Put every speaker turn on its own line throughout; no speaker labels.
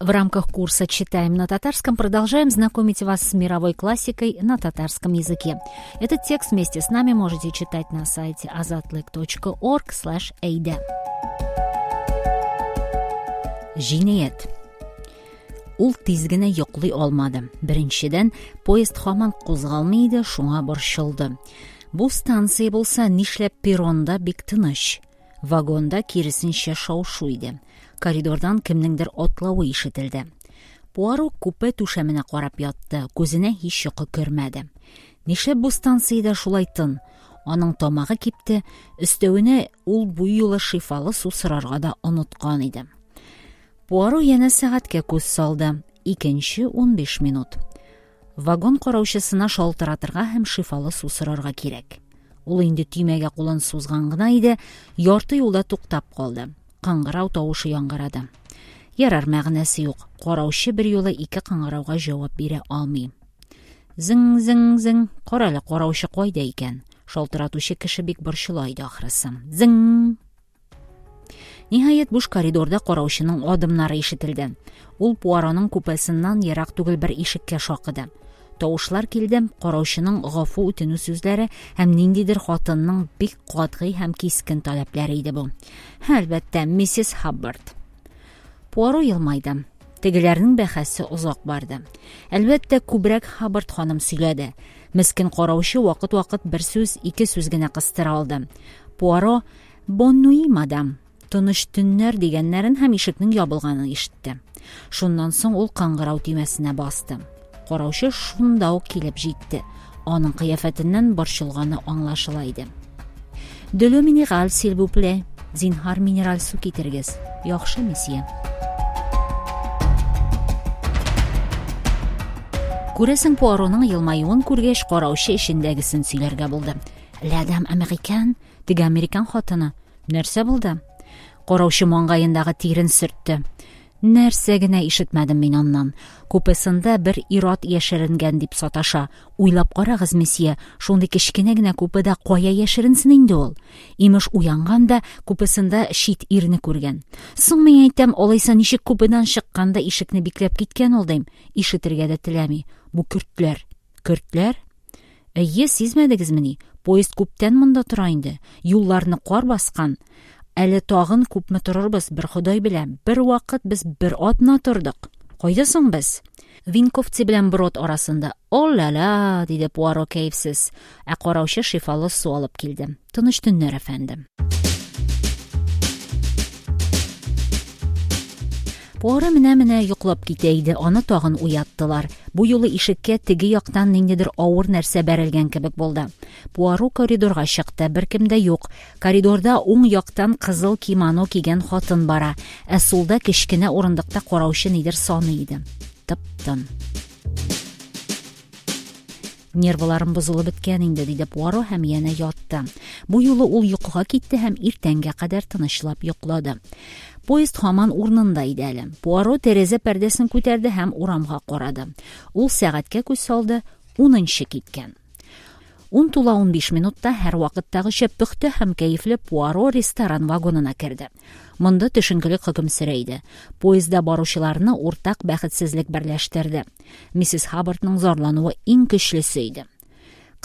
В рамках курса «Читаем на татарском» продолжаем знакомить вас с мировой классикой на татарском языке. Этот текст вместе с нами можете читать на сайте azatlyk.org/eide. Җинаять. Ул тиз генә йоклый алмады. Беренчедән, поезд һаман кузгалмый иде, шуңа борчылды. Бу станция булса, нишләп перронда бик тыныч? Вагонда киресенчә шау-шу иде. Коридордан кемнеңдер атлавы ишетелде. Пуаро купе түшәменә карап ятты, күзенә һич йокы кермәде. Нишләп бу станциядә шулай тын? Аның тамагы кипте, өстәвенә ул бу юлы шифалы су сорарга да оныткан иде. Пуаро янә сәгатькә күз салды. Икенче 15 минут. Вагон караучысына шалтыратырга һәм шифалы су сорарга кирәк. Ул инде төймәгә кулын сузган гына иде, ярты юлда туктап калды. Кыңгырау тавышы яңгырады. Ярар, мәгънәсе юк. Караучы берьюлы ике кыңгырауга җавап бирә алмый. Зың-зың-зың. Карале, караучы кайда икән? Шалтыратучы кеше бик борчыла иде ахрысы. Зың! Ниһаять, буш коридорда караучының адымнары ишетелде. Ул Пуароның купесыннан ерак түгел бер ишеккә шакыды. Тавышлар килде, караучының гафу үтенү сүзләре һәм ниндидер хатынның бик катгый һәм кискен таләпләре иде бу. Әлбәттә, миссис Хаббард. Пуаро елмайды. Тегеләрнең бәхәсе озак барды. Әлбәттә, күбрәк Хаббард ханым сөйләде. Мескен караучы вакыт-вакыт бер сүз, ике сүз генә кыстыра алды. Пуаро «Бон нуи, мадам!» Тыныч төннәр дигәннәрен һәм ишекнең ябылганын ишетте. Шуннан соң ул кыңгырау төймәсенә басты. Караучы шунда ук килеп җитте. Аның кыяфәтеннән борчылганы аңлашыла иде. De l'eau minérale, s'il vous plaît. Зинһар, минераль су китерегез. Яхшы, месье. Күрәсең, Пуароның елмаюын күргәч, караучы эчендәгесен сөйләргә булды. La dame américaine, теге американ хатыны. Нәрсә булды? Караучы маңгаендагы тирен сөртте. Нәрсә генә ишетмәдем мин аннан. Купесында бер ир-ат яшеренгән дип саташа. Уйлап карагыз, месье, шундый кечкенә генә купеда кая яшеренсен инде ул? Имеш, уянган да купесында чит ирне күргән. Соң мин әйтәм, алайса ничек купедан чыккан да ишекне бикләп киткән ул, дим. Ишетергә дә теләми. Бу көртләр. Көртләр? Әйе, сизмәдегезмени? Поезд күптән монда тора инде. Юлларны кар баскан. Әле тагын күпме торырбыз, бер Ходай белә. Бер вакыт без бер атна тордык. Кайда соң без? Винковцы белән Брод арасында. О-ля-ля, диде Пуаро кәефсез. Ә караучы шифалы су алып килде. Тыныч төннәр, әфәндем. Пуаро менә-менә йоклап китә иде, аны тагын уяттылар. Бу юлы ишеккә теге яктан ниндидер авыр нәрсә бәрелгән кебек булды. Пуаро коридорга чыкты, беркем дә юк. Коридорда уң яктан кызыл кимоно кигән хатын бара, ә сулда кечкенә урындыкта караучы нидер саный иде. Тып-тын. Нервыларым бозылып беткән инде, диде Пуаро һәм янә ятты. Бу юлы ул йокыга китте һәм иртәнгә кадәр тынычлап йоклады. Поезд һаман урынында иде әле. Пуаро тәрәзә пәрдәсен күтәрде һәм урамга карады. Ул сәгатькә күз салды, унынчы киткән. Ун тула 15 минутта һәрвакыттагыча пөхтә һәм кәефле Пуаро ресторан вагонына керде. Монда төшенкелек хөкем сөрә иде. Поездда баручыларны уртак бәхетсезлек берләштерде. Миссис Хаббардның зарлануы иң көчлесе иде.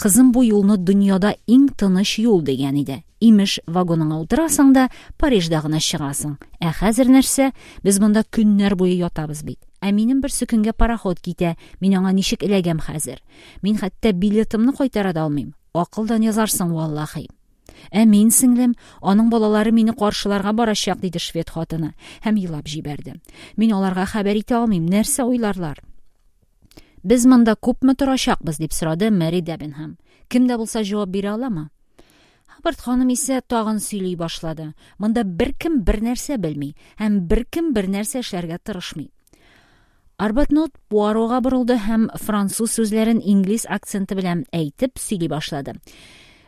Кызым бу юлны дөньяда иң тыныч юл дигән иде. Имеш, вагоныңа утырасың да, Парижда гына чыгасың. Ә хәзер нәрсә? Без монда көннәр буе ятабыз бит. Ә минем берсекөнгә пароход китә. Мин аңа ничек эләгәм хәзер? Мин хәтта билетымны кайтара да алмыйм. Акылдан язарсың, валлахи. Ә мин, сеңлем, аның балалары мине каршыларга барачак, диде швед хатыны һәм елап җибәрде. Мин аларга хәбәр итә алмыйм, нәрсә уйларлар? Без монда күпме торачакбыз, дип сорады Мэри Дебенһам. Кем дә булса җавап бирә аламы? Хаббард ханым исә тагын сөйли башлады. Монда беркем бернәрсә белми һәм беркем бернәрсә эшләргә тырышмый. Арбатнот Пуарога борылды һәм француз сүзләрен инглиз акценты белән әйтеп сөйли башлады.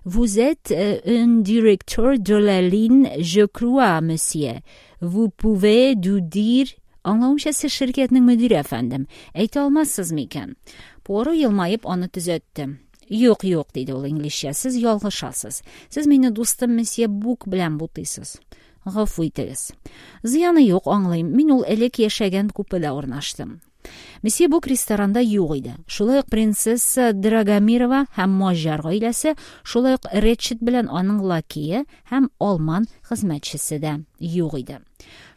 Vous êtes un directeur de la ligne, je crois, monsieur. Vous pouvez nous dire... Аңлавымча, сез ширкәтнең мөдире, әфәндем. Әйтә алмассыз микән? Пуаро елмаеп аны төзәтте. Юк, юк, диде ул инглизчә, сез ялгышасыз. Сез мине дустым месье Бук белән бутыйсыз. Гафу итегез. Зыяны юк, аңлыйм. Мин ул элек яшәгән купеда урнаштым. Месье Бук ресторанда юк иде. Шулай ук принцесса Драгомирова һәм маҗар гаиләсе, шулай ук Рэтчет белән аның лакее һәм алман хезмәтчесе дә юк иде.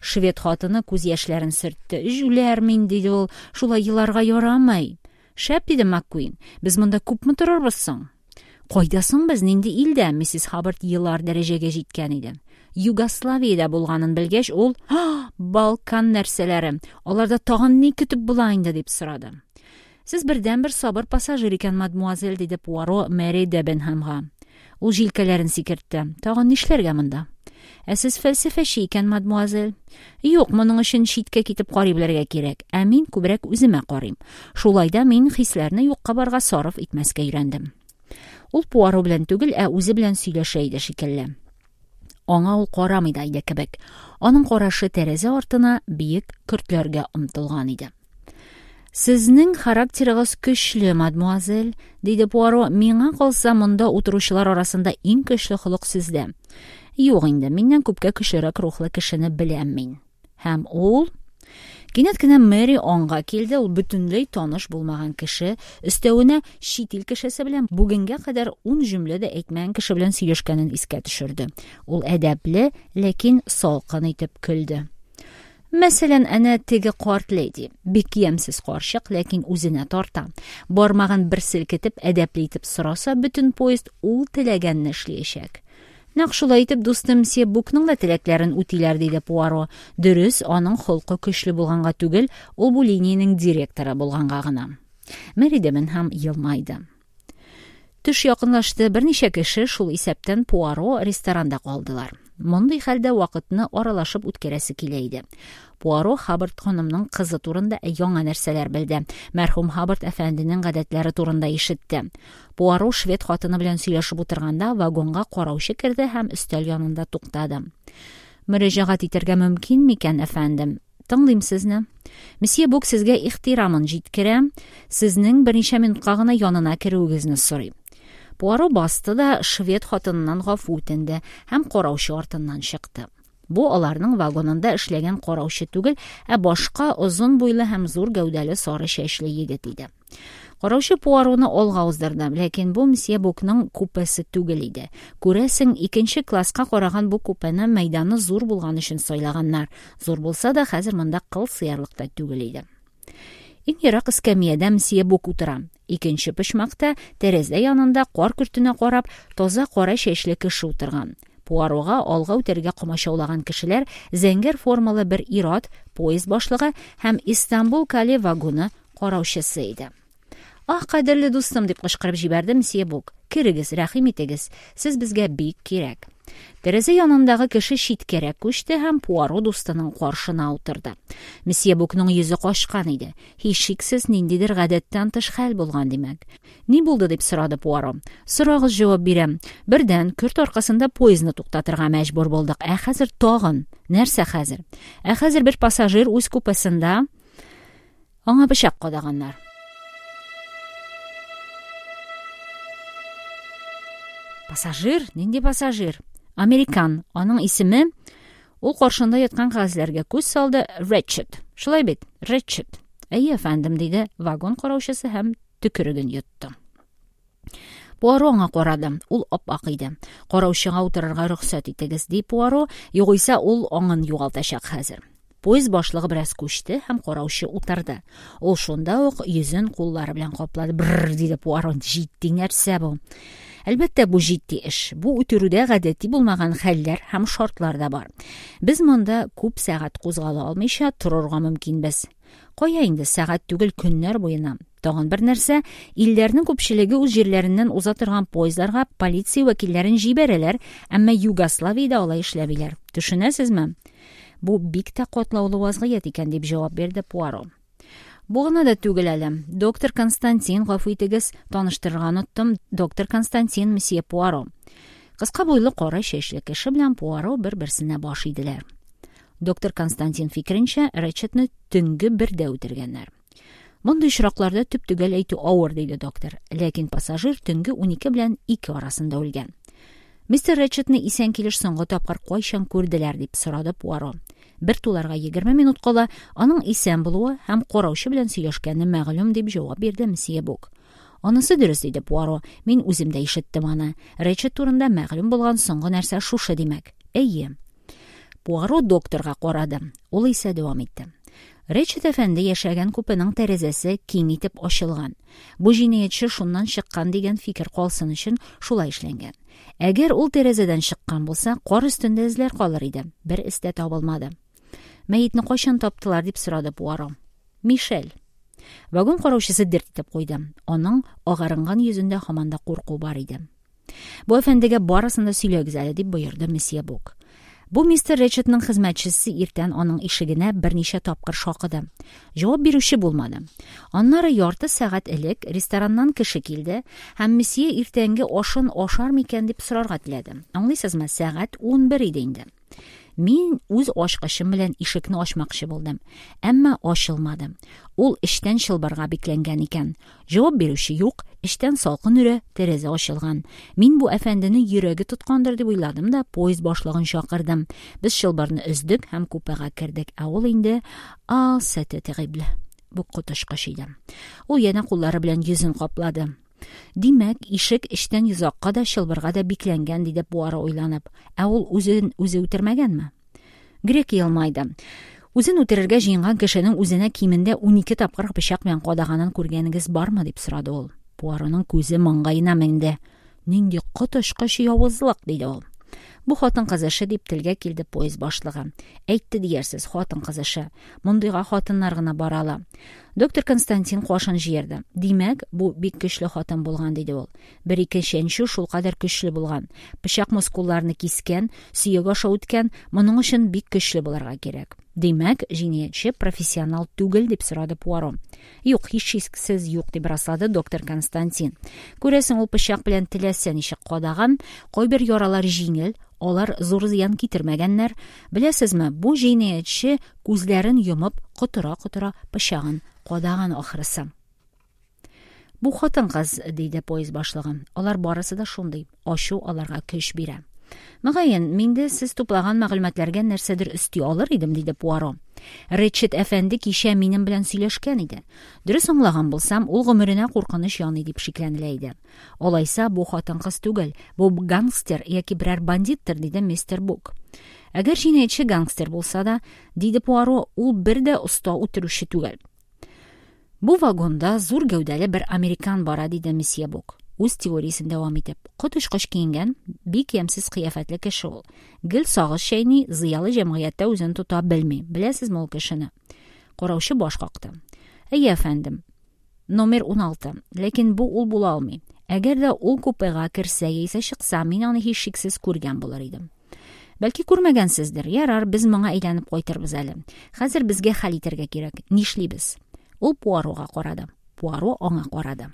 Швед хатыны күз яшьләрен сөртте. «Җүләр мин», – диде ул, – «шулай еларга ярамый». «Шәп», – диде МакКуин. «Без монда күпме торырбыз соң?» «Кайда соң без? Нинди илдә?» Миссис Хаббард елар дәрәҗәгә җиткән иде. Югославиядә булганын белгәч, ул: "Һа, Балкан нәрсәләре! Аларда тагын ни көтеп була инде?" дип сорады. Сез бердәнбер сабыр пассажир икән, мадмуазель, диде Пуаро Мэри Дебенхэмга. Ул җилкәләрен сикертте. Тагын нишләргә монда? Ә сез фәлсәфәче икән, мадмуазель. Юк, моның өчен читкә китеп карый белергә кирәк. Ә мин күбрәк үземә карыйм. Шулай да мин хисләрне юкка-барга сарыф итмәскә өйрәндем. Ул Пуаро белән түгел, ә үзе белән сөйләшә иде шикелле. Аңа ул карамый да иде кебек. Аның карашы тәрәзә артына, биек көртләргә омтылган иде. Сезнең характерыгыз көчле, мадмуазель, диде Пуаро. Миңа калса, монда утыручылар арасында иң көчле холык сездә. Юк инде, миннән күпкә көчлерәк рухлы кешене беләм мин. Һәм ул Кинәт кенә Мэри аңга килде, ул бөтенләй таныш булмаган кеше, өстәвенә чит ил кешесе белән бүгенгә кадәр ун җөмлә дә әйтмәгән кеше белән сөйләшкәнен искә төшерде. Ул әдәпле, ләкин салкын итеп көлде. Мәсәлән, әнә теге карт леди. Бик ямьсез карчык, ләкин үзенә тарта. Бармагын бер селкетеп, әдәпле итеп сораса, бөтен поезд ул теләгәнне эшләячәк. Нәкъ шулай итеп, дустым мсье Букның да теләкләрен үтиләр, диде Пуаро. Дөрес, аның холкы көчле булганга түгел, ул бу линиянең директоры булганга гына. Мэри Дебенһам елмайды. Төш якынлашты, берничә кеше, шул исәптән Пуаро, ресторанда калдылар. Мондый хәлдә вакытны аралашып үткәрәсе килә иде. Пуаро Хаббард ханымның кызы турында яңа нәрсәләр белде. Мәрхүм Хаббард әфәнденең гадәтләре турында ишетте. Пуаро швед хатыны белән сөйләшеп утырганда вагонга караучы керде һәм өстәл янында туктады. Мөрәҗәгать итәргә мөмкин микән, әфәндем? Тыңлыйм сезне. Месье Бук сезгә ихтирамын җиткерә, сезнең берничә минутка гына янына керүегезне сорый. Пуаро басты да швед хатыныннан гафу үтенде һәм караучы артыннан чыкты. Бу аларның вагонында эшләгән караучы түгел, ә башка озын буйлы һәм зур гәүдәле сары чәчле егет иде. Караучы Пуароны алга уздырды, ләкин бу мсье Букның купесы түгел иде. Күрәсең, икенче класска караган бу купены мәйданы зур булган өчен сайлаганнар. Зур булса да, хәзер монда кыл сыярлык та түгел иде. Иң ерак эскәмиядә мсье Бук утыра. Икенче почмакта, тәрәзә янында, кар көртенә карап, таза кара чәчле кеше утырган. Пуарога алга үтәргә комачаулаган кешеләр зәңгәр формалы бер ир-ат, поезд башлыгы һәм Истанбул-Кале вагоны караучысы иде. Ах, кадерле дустым, дип кычкырып җибәрде мсье Бук. Керегез, рәхим итегез. Сез безгә бик кирәк. Тәрәзә янындагы кеше читкәрәк күчте һәм Пуаро дустының каршына утырды. Мсье Букның йөзе качкан иде. Һичшиксез, ниндидер гадәттән тыш хәл булган, димәк. Ни булды, дип сорады Пуаро. Сорагыз, җавап бирәм. Бердән, көрт аркасында поездны туктатырга мәҗбүр булдык. Ә хәзер тагын. Нәрсә хәзер? Ә хәзер бер пассажир үз купесында аңа пычак кадаганнар. Пассажир? Нинди пассажир? Американ. Аның исеме... Ул каршында яткан кәгазьләргә күз салды. Рэтчет. Шулай бит? Рэтчет. Әйе, әфәндем, диде вагон караучысы һәм төкереген йотты. Пуаро аңа карады. Ул ап-ак иде. Караучыга утырырга рөхсәт итегез, ди Пуаро, югыйсә ул аңын югалтачак хәзер. Поезд башлыгы бераз күчте һәм караучы утырды. Ул шунда ук йөзен куллары белән каплады. Бррр, диде Пуаро, җитди нәрсә бу. Әлбәттә, бу җитди эш. Бу үтерүдә гадәти булмаган хәлләр һәм шартлар да бар. Без монда күп сәгать кузгала алмыйча торырга мөмкинбез. Кая инде, сәгать түгел, көннәр буена. Тагын бер нәрсә, илләрнең күпчелеге үз җирләреннән уза торган поездларга полиция вәкилләрен җибәрәләр, әмма Югославиядә алай эшләмиләр. Төшенәсезме? Бу бик тә катлаулы вазгыять икән, дип җавап бирде Пуаро. Бу гына да түгел әле. Доктор Константин, гафу итегез, таныштырырга оныттым. Доктор Константин, месье Пуаро. Кыска буйлы кара чәчле кеше белән Пуаро бер-берсенә баш иделәр. Доктор Константин фикеренчә, Рэтчетны төнге бердә үтергәннәр. Мондый очракларда төп-төгәл әйтү авыр, диде доктор. Ләкин пассажир төнге 12 белән 2 арасында үлгән. Мистер Рэтчетны исән килеш соңгы тапкыр кайчан күрделәр, дип сорады Пуаро. Бер туларга 20 минут кала аның исән булуы һәм караучы белән сөйләшкәне мәгълүм, дип җавап бирде мсье Бук. Анысы дөрес, диде Пуаро. Мин үзем дә ишеттем аны. Рэтчет турында мәгълүм булган соңгы нәрсә шушы, димәк. Әйе. Пуаро докторга карады. Ул исә дәвам итте. Рэтчет әфәнде яшәгән купеның тәрәзәсе киң итеп ачылган. Бу җинаятьче шуннан чыккан дигән фикер калсын өчен шулай эшләнгән. Әгәр ул тәрәзәдән чыккан булса, кар өстендә эзләр калыр иде. Бер эз дә табылмады. Мәетне кайчан таптылар, дип сорады Пуаро. Мишель. Вагон караучысы дерт итеп куйды. Аның агарынган йөзендә һаман да курку бар иде. Бу әфәндегә барысын да сөйләгез әле, дип боерды месье Бук. Бу мистер Рэтчетның хезмәтчесе иртән аның ишегенә берничә тапкыр шакыды. Җавап бирүче булмады. Аннары ярты сәгать элек рестораннан кеше килде һәм месье иртәнге ашын ашар микән дип сорарга теләде. Аңлыйсызмы, сәгать 11 иде инде. Мин үз ачкычым белән ишекне ачмакчы булдым, әмма ачылмады. Ул эчтән чылбырга бикләнгән икән. Җавап бирүче юк, эчтән салкын өрә, тәрәзә ачылган. Мин бу әфәндене йөрәге тоткандыр дип уйладым да поезд башлыгын чакырдым. Без чылбырны өздек һәм купега кердек, ә ул инде... А, c'était terrible. Бу коточкыч иде. Ул янә куллары белән йөзен каплады. Димәк, ишек эчтән йозакка да, чылбырга да бикләнгән, диде Пуаро уйланып. Ә ул үзен үзе үтермәгәнме? Грек елмайды. Үзен үтерергә җыенган кешенең үзенә кимендә 12 тапкыр пычак белән кадаганын күргәнегез бармы, дип сорады ул. Пуароның күзе маңгаена менде. Нинди коточкыч явызлык, диде ул. Бу хатын-кыз эше, дип телгә килде поезд башлыгы. Әйтте диярсез, хатын-кыз эше. Мондыйга хатыннар гына бара ала. Доктор Константин кашын җыерды. Димәк, бу бик көчле хатын булган, диде ул. Бер-ике чәнчү шулкадәр көчле булган. Пычак мускулларны кискән, сөяк аша үткән, моның өчен бик көчле булырга кирәк. Димәк, җинаятьче профессионал түгел, дип сорады Пуаро. Юк, һичшиксез юк, дип раслады доктор Константин. Күрәсең, ул пычак белән теләсә ничек кадаган, кайбер яралар җиңел, алар зур зыян китермәгәннәр. Беләсезме, бу җинаятьче күзләрен йомып, котыра-котыра пычагын кадаган ахрысы. Бу хатын-кыз, диде поезд башлыгы. Алар барысы да шундый. Ачу аларга көч бирә. Мөгаен, мин дә сез туплаган мәгълүматларга нәрсәдер өсти алыр идем, диде Пуаро. Рэтчет әфәнде кичә минем белән сөйләшкән иде. Дөрес аңлаган булсам, ул гомеренә куркыныч яный дип шикләнелә иде. Алайса, бу хатын-кыз түгел, бу гангстер яки берәр бандиттыр, диде мистер Бук. Әгәр җинаятьче гангстер булса да, диде Пуаро, ул бер дә оста үтерүче түгел. Бу вагонда зур гәүдәле бер американ бара, диде месье Бук. Үз теориясен дәвам итеп. Коточкыч киенгән, бик ямьсез кыяфәтле кеше ул. Гел сагыз чәйни, зыялы җәмгыятьтә үзен тота белми. Беләсезме ул кешене? Караучы баш какты. Әйе, әфәндем. Номер 16. Ләкин бу ул була алмый. Әгәр дә ул купега керсә яисә чыкса, мин аны һичшиксез күргән булыр идем. Бәлки күрмәгәнсездер. Ярар, без моңа әйләнеп кайтырбыз әле. Хәзер безгә хәл итәргә кирәк. Нишлибез? Ул Пуарога карады. Пуаро аңа карады.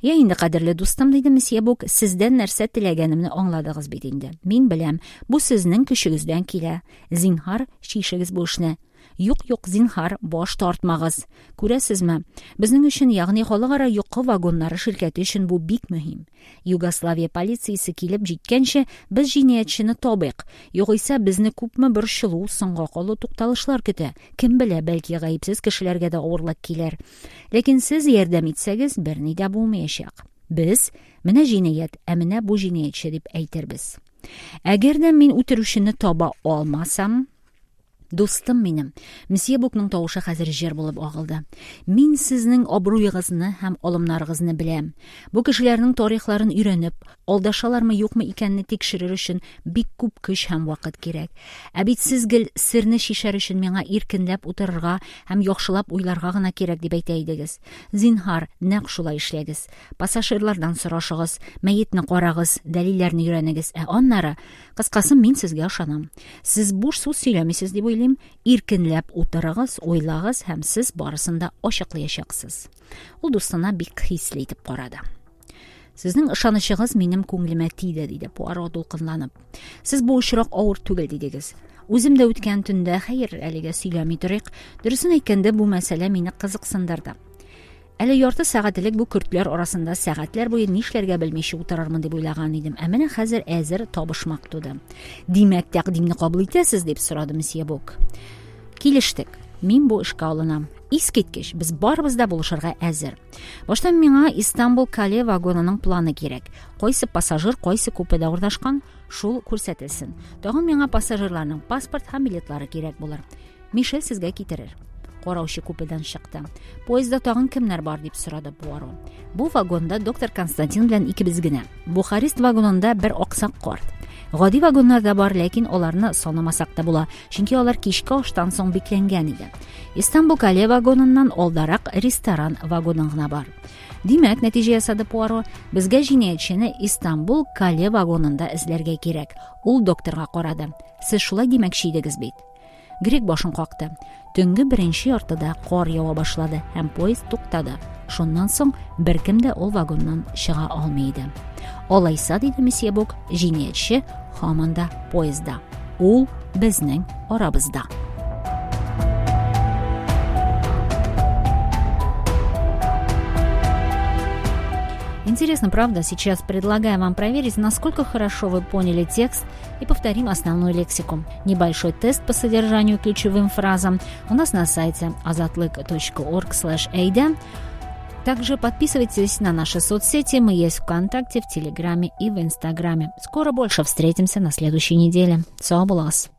Я инде, кадерле дустым, диде месье Бук, сездән нәрсә теләгәнемне аңладыгыз бит инде. Мин беләм, бу сезнең көчегездән килә. Зинһар, чишегез бу эшне. Юк, юк, зинһар, баш тартмагыз. Күрәсезме? Безнең өчен, ягъни халыкара йокы вагоннары ширкәте өчен бу бик мөһим. Югославия полициясе килеп җиткәнче, без җинаятьчене табыйк. Югыйсә безне күпме борчылу, соңга калу тукталышлар көтә. Кем белә, бәлки гаепсез кешеләргә дә авырлык килер. Ләкин сез ярдәм итсәгез, берни дә булмаячак. Без менә җинаять, ә менә бу җинаятьче дип әйтербез. Әгәр дә мин үтерүчене таба алмасам, дустым минем, месье Букның тавышы хәзер җыр булып агылды. Мин сезнең абруегызны һәм алымнарыгызны беләм. Бу кешеләрнең тарихларын өйрәнеп, алдашалармы юкмы икәнне тикшерер өчен бик күп көч һәм вакыт кирәк. Ә бит сез гел серне чишәр өчен миңа иркенләп утырырга һәм яхшылап уйларга гына кирәк дип әйтә идегез. Зинһар, нәкъ шулай эшләгез. Пассажирлардан сорашыгыз, мәетне карагыз, дәлилләрне өйрәнегез. Ә аннары, кыскасы, мин сезгә ышанам. Сез буш сүз сөйләмисез дип уйлыйм. Иркенләп утырыгыз, уйлагыз һәм сез барысын да ачыклаячаксыз. Ул дустына бик хисле итеп карады. Сезнең ышанычыгыз минем күңелемә тиде, диде Пуаро дулкынланып. Сез бу очрак авыр түгел дидегез. Үзем дә үткән төндә, хәер, әлегә сөйләми торыйк. Дөресен әйткәндә, бу мәсьәлә мине кызыксындырды. Әле ярты сәгать элек бу көртләр арасында сәгатьләр буе нишләргә белмичә утырырмын дип уйлаган идем. Ә менә хәзер әзер табышмак туды. Димәк, тәкъдимне кабул итәсез, дип сорады месье Бук. Килештек. Мин бу эшкә алынам. Искиткеч, без барыбыз да булышырга әзер. Башта миңа Истанбул Кале вагонының планы кирәк. Кайсы пассажир кайсы купеда урнашкан, шул күрсәтелсен. Тагын миңа пассажирларның паспорт һәм билетлары кирәк булыр. Мишель сезгә китерер. Караучы купедан чыкты. Поездда тагын кемнәр бар, дип сорады Пуаро. Бу вагонда доктор Константин белән икебез генә. Бухарест вагонында бер аксак карт. Гади вагоннар да бар, ләкин аларны санамасак та була, чөнки алар кичке аштан соң бикләнгән иде. Истанбул Кале вагоныннан алдарак ресторан вагоны гына бар. Димәк, нәтиҗә ясады Пуаро, безгә җинаятьчене Истанбул Кале вагонында эзләргә кирәк. Ул докторга карады. Сез шулай димәкче идегез бит. Грек башын какты. Төнге беренче яртыда кар ява башлады һәм поезд туктады. Шуннан соң беркем дә ул вагоннан чыга алмый иде. Алайса, диде месье Бук, җинаятьче һаман да поездда. Ул безнең арабызда. Интересно, правда? Сейчас предлагаю вам проверить, насколько хорошо вы поняли текст, и повторим основную лексику. Небольшой тест по содержанию ключевым фразам у нас на сайте azatlyk.org/ada. Также подписывайтесь на наши соцсети. Мы есть ВКонтакте, в Телеграме и в Инстаграме. Скоро больше встретимся на следующей неделе. Сау булыгыз.